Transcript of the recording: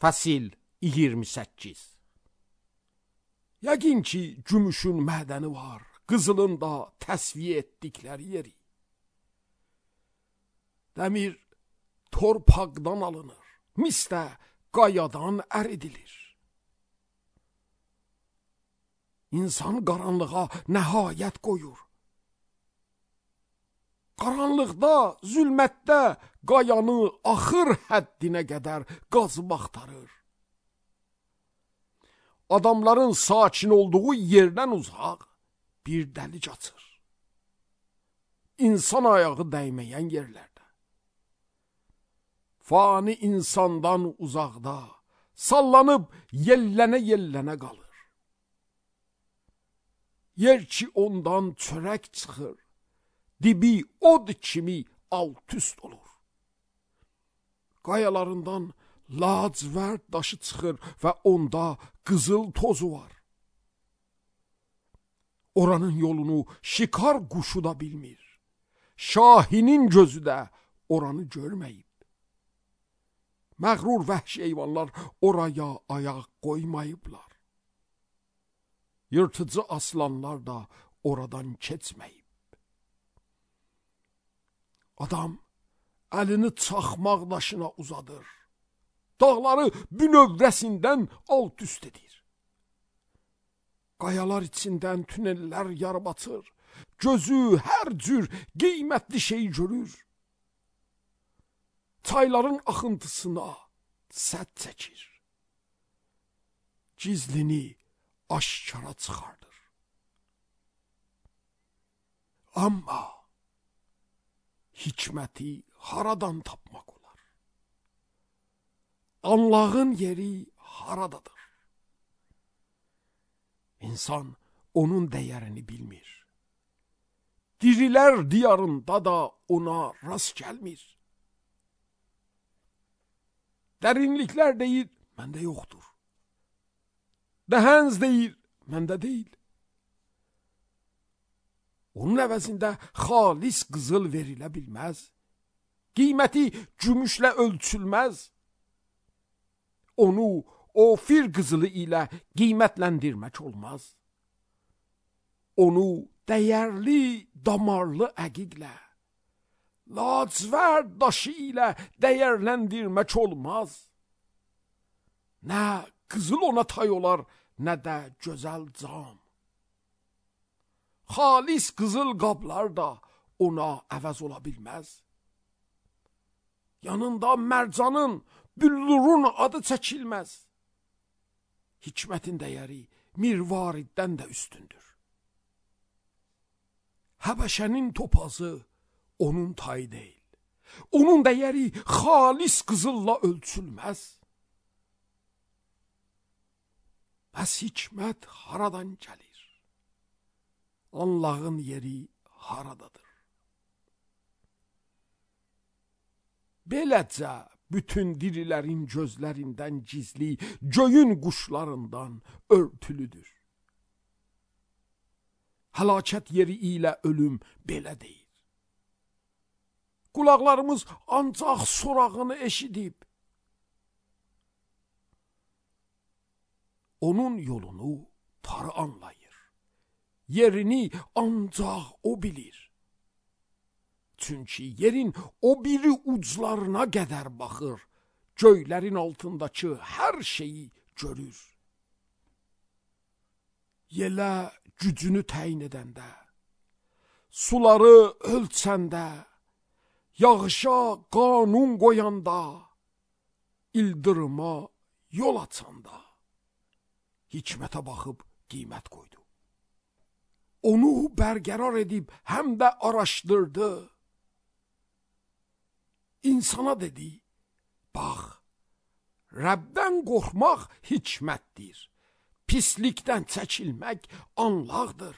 Fəsil 28. Yəqin ki, gümüşün mədəni var, qızılın da təsviyə etdikləri yeri. Dəmir torpaqdan alınır, mis də qayadan əridilir. İnsan qaranlığa nəhayət qoyur. Qaranlıqda, zülmətdə qayanı axır həddinə qədər qazıb axtarır. Adamların sakin olduğu yerdən uzaq bir dəlik açır. İnsan ayağı dəyməyən yerlərdə. Fani insandan uzaqda, sallanıb yellənə-yellənə qalır. Yer ki ondan çörək çıxır, dibi od kimi alt-üst olur. Qayalarından lacivərd daşı çıxır və onda qızıl tozu var. Oranın yolunu şikar quşu da bilmir. Şahinin gözü də oranı görməyib. Məğrur vəhşi heyvanlar oraya ayaq qoymayıblar. Yırtıcı aslanlar da oradan keçməyib. Adam əlini çaxmaq daşına uzadır. Dağları bünövrəsindən alt-üst edir. Qayalar içindən tünellər yarıb açır. Gözü hər cür qiymətli şey görür. Çayların axıntısına sədd çəkir. Gizlini aşkara çıxardır. Amma hikməti haradan tapmaq olar? Anlağın yeri haradadır? İnsan onun dəyərini bilmir. Dirilər diyarında da ona rast gəlmir. Dərinliklər deyir, məndə yoxdur. Dəhənz deyir, məndə deyil. Onun əvəzində xalis qızıl verilə bilməz. Qiyməti gümüşlə ölçülməz. Onu ofir qızılı ilə qiymətləndirmək olmaz. Onu dəyərli damarlı əqiqlə, lacivərd daşı ilə dəyərləndirmək olmaz. Nə qızıl ona tay olar, nə də gözəl cam. Xalis qızıl qablar da ona əvəz ola bilməz. Yanında mərcanın, büllurun adı çəkilməz. Hikmətin dəyəri mirvariddən də üstündür. Həbəşənin topazı onun tayı deyil. Onun dəyəri xalis qızılla ölçülməz. Bəs hikmət haradan gəlir? Anlağın yeri haradadır? Beləcə bütün dirilərin gözlərindən gizli, göyün quşlarından örtülüdür. Həlakət yeri ilə ölüm belə deyir. Qulaqlarımız ancaq sorağını eşidib. Onun yolunu tarı anlayır. Yerini ancaq o bilir. Çünki yerin o biri uclarına qədər baxır, göylərin altındakı hər şeyi görür. Yelə gücünü təyin edəndə, suları ölçəndə, yağışa qanun qoyanda, ildırıma yol açanda, hikmətə baxıb qiymət qoydu. Onu bərqərar edib həm də araşdırdı. İnsana dedi, bax, Rəbdən qorxmaq hikmətdir, pislikdən çəkilmək anlaqdır.